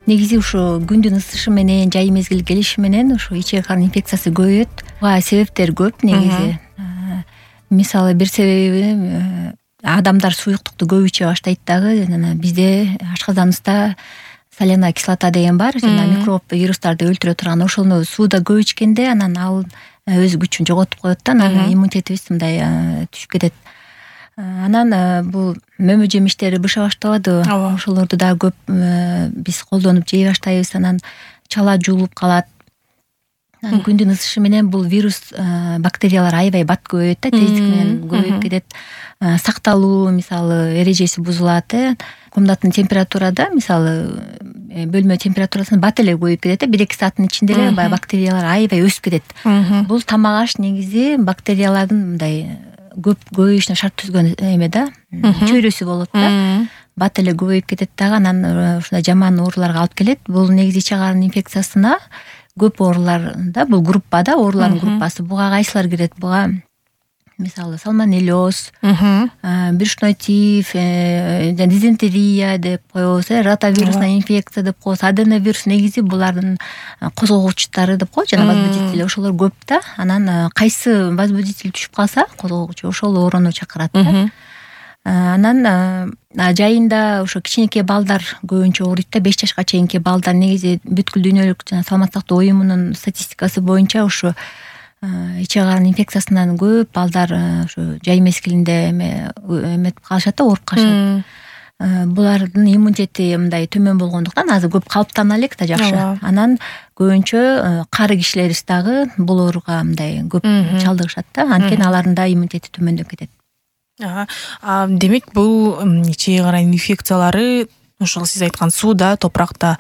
негизи ушу күндүн ысышы менен жай мезгил келиши менен ушу ичек карын инфекциясы көбөйөт. Буга себептер көп негизи. Мисалы бир себеби адамдар суюктукту көп иче баштайт дагы. Жана бизде ашказаныбызда соляная кислота деген бар. Жана микроб вирустарды өлтүрө турган ошону сууда көп ичкенде анан ал өз күчүн жоготуп коет да. Анан иммунитетибиз мындай түшүп кетет. Анан бул мөмө жемиштери быша баштабады. Ошолорду дагы көп биз колдонуп жей баштайбыз. Анан чала жуулуп калат. Күндүн ысышы менен бул вирус бактериялар аябай бат көбөйөт да, тездик менен көбөйүп кетет. Сакталуу мисалы эрежеси бузулат. Комнаттын температурада мисалы бөлмө температурасында бат эле көбөйүп кетет. 1-2 сааттын ичинде эле баягы бактериялар аябай өсүп кетет. Бул тамак аш негизи бактериялардын мындай көп көбөйүшүнө шарт түзгөн эме да, чөйрөсү болот да. Бат эле көбөйүп кетет дагы, анан ушундай жаман ооруларга алып келет. Бул негизи ичек карын инфекциясына көп ооруларда бул группада, оорулардын группасы. Буга кайсылар кирет? Буга мисалы салмонеллез, брюшной тиф, дизентерия деп коебуз, ротавирусная инфекция деп коебуз, аденовирус. Негизи булардын козгогучтары деп коебуз, жана возбудители ошолор көп да. Анан кайсы возбудитель түшүп калса, козгогучу, ошол ооруну чакырат да. Анан жайында ошо кичинекей балдар көбүнчө ооруйт да. 5 жашка чейинки балдар негизи бүткүл дүйнөлүк жана саламаттык сактоо уюмунун статистикасы боюнча ушу ичек карын инфекциясынан көп балдар ушу жай мезгилинде эметип калышат да, ооруп калышат. Булардын иммунитети мындай төмөн болгондуктан азыр көп калыптана элек да, жакшы. Анан көбүнчө кары кишилерибиз дагы бул ооруга мындай көп чалдыгышат да. Анткени алардын да иммунитети төмөндөп кетет. Демек бул ичек карын инфекциялары ошол сиз айткан сууда, топуракта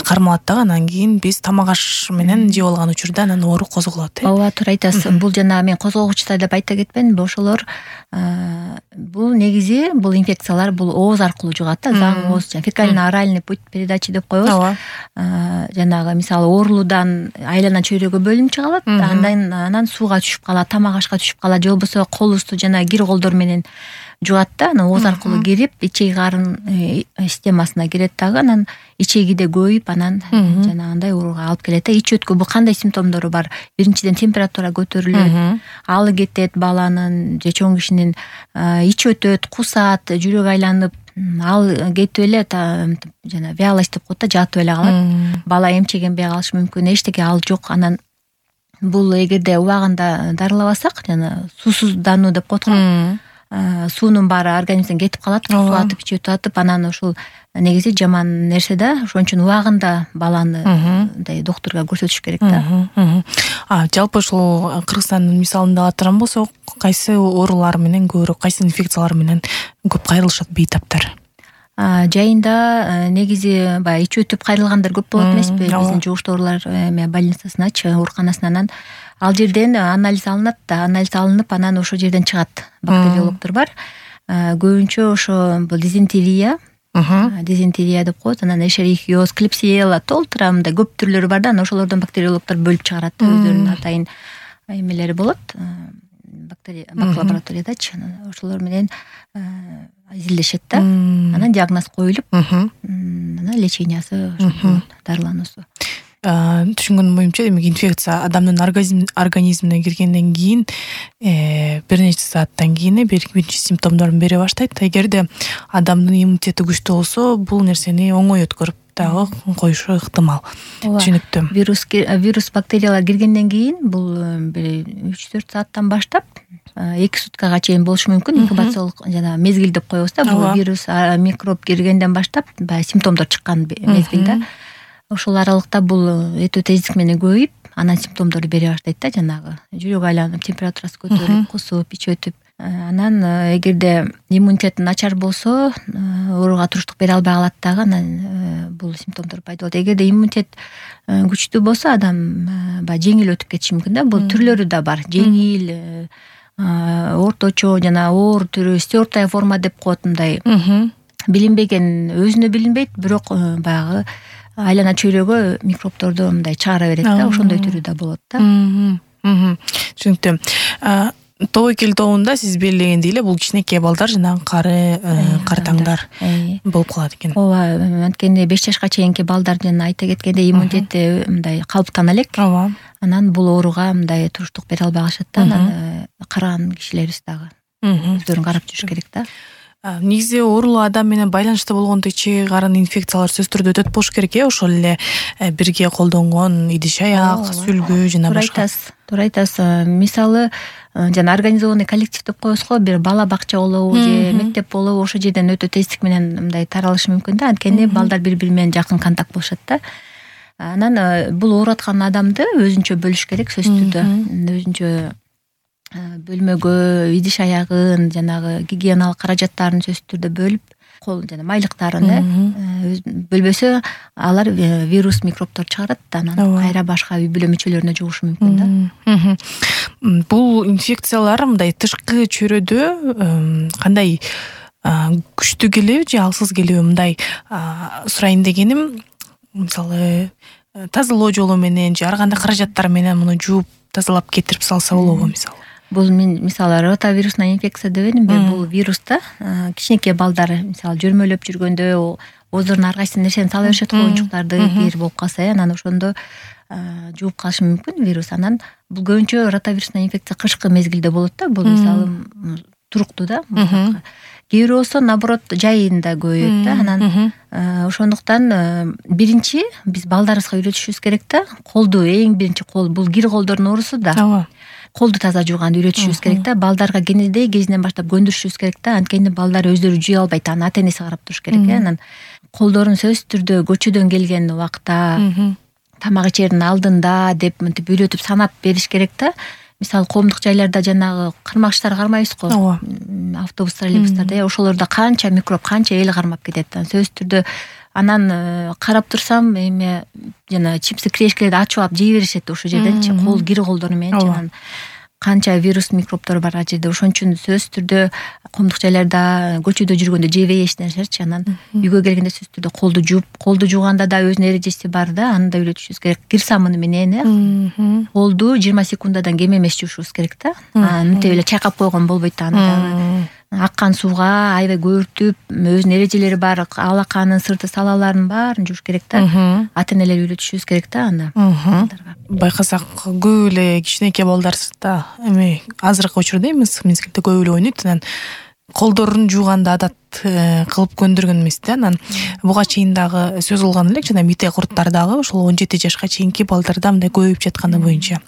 кармалат дагы, анан кийин биз тамак аш менен жеп алган учурда анан оору козголот. Ооба, туура айтасыз. Бул жана мен козгогучтар деп айта кетпедимби? Ошолор бул негизи бул инфекциялар бул ооз аркылуу жугат да, заң ооз, фекально-оральный путь передачи деп коебуз. Жанагы мисалы оорулуудан айлана чөйрөгө бөлүнүп чыгалат, анан сууга түшүп калат, тамак ашка түшүп калат, же болбосо колубузду жана кир колдор менен жугат да. Анан ооз аркылуу кирип, ичек карын системасына кирет дагы, анан ичегиде көбөйүп, анан жанагындай ооруга алып келет да. Ич өткү бул кандай симптомдору бар? Биринчиден температура көтөрүлөт, алы кетет баланын же чоң кишинин, ич өтөт, кусат, жүрөк айланып, ал кетип эле жана вялость деп коет да, жатып эле калат. Бала эмчегенбей калышы мүмкүн, эчтеке ал жок. Анан бул эгерде убагында дарылабасак, жана суусуздануу деп коет го, суунун баары организмден кетип калат, суу атып, ич өтүп атып, анан ушул негизи жаман нерсе да. Ошон үчүн убагында баланы мындай доктурга көрсөтүш керек да. Жалпы ушул Кыргызстандын мисалында ала турган болсок, кайсы оорулар менен көбүрөөк, кайсы инфекциялар менен көп кайрылышат бейтаптар? Жайында негизи баягы ич өтүп кайрылгандар көп болот эмеспи? Биздин жугуштуу оорулар больницасыначы, ооруканасынан. Ал жерден анализ алынат да, анализ алынып, анан ошол жерден чыгат. Бактериологдор бар. Көбүнчө ошо бул дизентерия деп коет, анан эшерихиоз, клепсиела, толтура мындай көп түрлөрү бар да. Анан ошолордон бактериологдор бөлүп чыгарат да, өздөрүнүн атайын эмелери болот. Лабораториядачы ошолор менен изилдешет да. Анан диагноз коюлуп, анан лечениясы дарылануусу. Түшүнгөнүм боюнча, демек инфекция адамдын организмине киргенден кийин бир нече сааттан кийин биринчи симптомдорун бере баштайт. Эгерде адамдын иммунитети күчтүү болсо, бул нерсени оңой өткөрүп дагы коюшу ыктымал. Түшүнүктүү. Вирус, бактериялар киргенден кийин бул 3-4 сааттан баштап 2 суткага чейин болушу мүмкүн. Инкубациялык жана мезгил деп коебуз да. Бул вирус, микроб киргенден баштап баягы симптомдор чыккан мезгил да. Ошол аралыкта бул өтө тездик менен көбөйүп, анан симптомдорду бере баштайт да, жанагы жүрөк айланып, температурасы көтөрүлүп, кусуп, ич өтүп. Анан эгерде иммунитети начар болсо, ооруга туруштук бере албай калат дагы, анан бул симптомдор пайда болот. Эгерде иммунитет күчтүү болсо, адам баягы жеңил өтүп кетиши мүмкүн да. Бул түрлөрү да бар. Жеңил, орточо жана оор түрү, стертая форма деп коет, мындай билинбеген, өзүнө билинбейт, бирок баягы айлана чөйрөгө микробторду мындай чыгара берет да. Ошондой түрү да болот да. Түшүнүктүү. тобокел тобунда сиз белгилегендей эле бул кичинекей балдар жанагы картаңдар болуп калат экен. Ооба, анткени 5 жашка чейинки балдар жана айта кеткендей иммунитети мындай калыптана элек. Ооба. Анан бул ооруга мындай туруштук бере албай калышат да. Анан караган кишилерибиз дагы өздөрүн карап жүрүш керек да. Негизи оорулуу адам менен байланышта болгондо ичеги карын инфекциялар сөзсүз түрдө өтөт болуш керек ошол эле бирге колдонгон идиш аяк, сүлгү жана башка. Туура айтасыз. Мисалы жана организованный коллектив деп коебуз го, бир бала бакча болобу же мектеп болобу, ошол жерден өтө тездик менен мындай таралышы мүмкүн да. Анткени балдар бири-бири менен жакын контакт болушат да. Анан бул ооруп аткан адамды өзүнчө бөлүш керек сөзсүз түрдө. Өзүнчө бөлмөгө идиш аягын, жанагы гигиеналык каражаттарын сөзсүз түрдө бөлүп, кол жана майлыктарын бөлбөсө алар вирус, микробтор чыгарат да, анан кайра башка үй бүлө мүчөлөрүнө жугушу мүмкүн да. Бул инфекциялар мындай тышкы чөйрөдө кандай күчтүү келеби же алсыз келеби, мындай сурайын дегеним, мисалы тазалоо жолу менен же ар кандай каражаттар менен муну жууп тазалап кетирип салса болобу мисалы? Бул мисалы ротавирусный инфекция дебедимби? Бул вируста кичинекей балдар мисалы жөрмөлөп жүргөндө ооздорунун ар кайсы нерсени сала беришет го, оюнчуктарды кир болуп калса, анан ошондо жууп калышы мүмкүн вирус. Анан бул көбүнчө ротавирусный инфекция кышкы мезгилде болот да. Бул мисалы туруктуу да. Кээ бирөө болсо наоборот жайында көбөйөт да. Анан ошондуктан биринчи биз балдарыбызга үйрөтүшүбүз керек да. Колду эң биринчи бул кир колдордун оорусу да. Ооба. Колду таза жууганды үйрөтүшүбүз керек да. Балдарга кенедей кезинен баштап көндүрүшүбүз керек да. Анткени балдар өздөрү жуя албайт, анан ата энеси карап туруш керек. Анан колдорун сөзсүз түрдө көчөдөн келген убакта, тамак ичердин алдында деп мынтип үйрөтүп санап бериш керек да. Мисалы коомдук жайларда жанагы кармагычтар кармайбыз го. Автобус, троллейбустарда ошолордо канча микроб, канча эл кармап кетет. Сөзсүз түрдө анан карап турсам эме жана чипсы, крешкелерди ачып алып жей беришет ошол жерденчи, кол кир колдору менен анан канча вирус, микробтор бар ал жерде. Ошон үчүн сөзсүз түрдө коомдук жайларда көчөдө жүргөндө жебей эчнерсерчи, анан үйгө келгенде сөзсүз түрдө колду жууп, колду жууганда да өзүнүн эрежеси бар да, аны да үйрөтүшүбүз керек. Кир самыны менен колду 20 секундадан кем эмес жуушубуз керек да. Мынтип эле чайкап койгон болбойт да, аны дагы аккан сууга аябай көбүртүп, өзүнүн эрежелери бар, алаканын, сырты, салаларын баарын жууш керек да. Ата энелер үйрөтүшүбүз керек да аны. Байкасак көп эле кичинекей балдар да эми азыркы учурда мезгилде көп эле ойнойт, анан колдорун жууганды адат кылып көндүргөн эмес да. Анан буга чейин дагы сөз кылган элек, жана мите курттар дагы ошол 17 жашка чейинки балдарда мындай көбөйүп жатканы боюнча.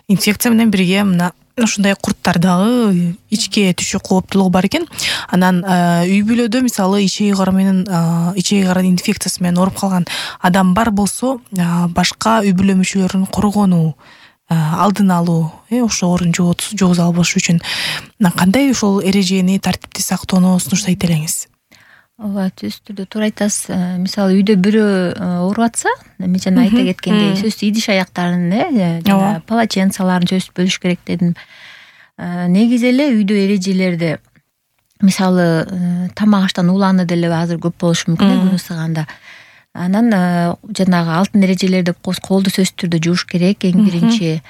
Инфекция менен бирге мына ушундай курттар дагы ичке түшүү кооптуулугу бар экен. Анан үй бүлөдө мисалы ичеги карын инфекциясы менен ооруп калган адам бар болсо, башка үй бүлө мүчөлөрүн коргонуу, алдын алуу, ошол оорун жугуза албаш үчүн кандай ошол эрежени, тартипти сактоону сунуштайт элеңиз? Ооба, сөзсүз түрдө туура айтасыз. Мисалы үйдө бирөө ооруп атса, мен жана айта кеткендей, сөзсүз идиш аяктарын, жана полотенцаларын сөзсүз бөлүш керек дедим. Негизи эле үйдө эрежелерди, мисалы тамак аштан уланы деле азыр көп болушу мүмкүн күн ысыганда. Анан жанагы алтын эрежелер деп коебуз, колду сөзсүз түрдө жууш керек эң биринчи.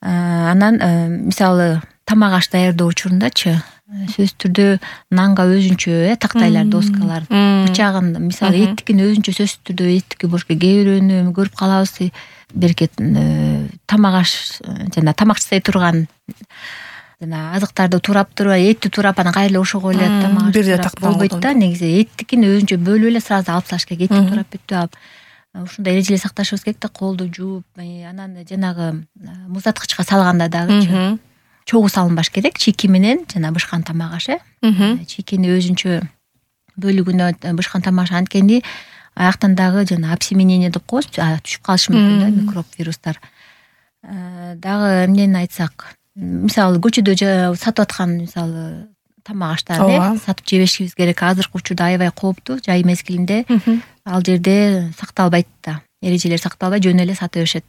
Анан мисалы тамак аш даярдоо учурундачы сөзсүз түрдө нанга өзүнчө тактайлар, доскалар, бычагын, мисалы эттикин өзүнчө сөзсүз түрдө эттики болуш керек. Кээ бирөөнү көрүп калабыз, берекет тамак аш жана тамак жасай турган жана азыктарды турап этти турап анан кайра эле ошого эле тамак аш болбойт да. Негизи эттикин өзүнчө бөлүп эле сразу алып салыш керек, этти турап бүтүп алып. Ушундай эрежелер сакташыбыз керек да, колду жууп, анан жанагы муздаткычка салганда дагы чогуу салынбаш керек, чийки менен жана бышкан тамак аш. Чийкини өзүнчө бөлүгүнө бышкан тамак аш, анткени аяктан дагы жана обсеменение деп коебуз, түшүп калышы мүмкүн да микроб, вирустар. Дагы эмнени айтсак, мисалы көчөдө сатып аткан мисалы тамак аштарды сатып жебешибиз керек. Азыркы учурда аябай кооптуу, жай мезгилинде ал жерде сакталбайт да, эрежелер сакталбай жөн эле сата беришет.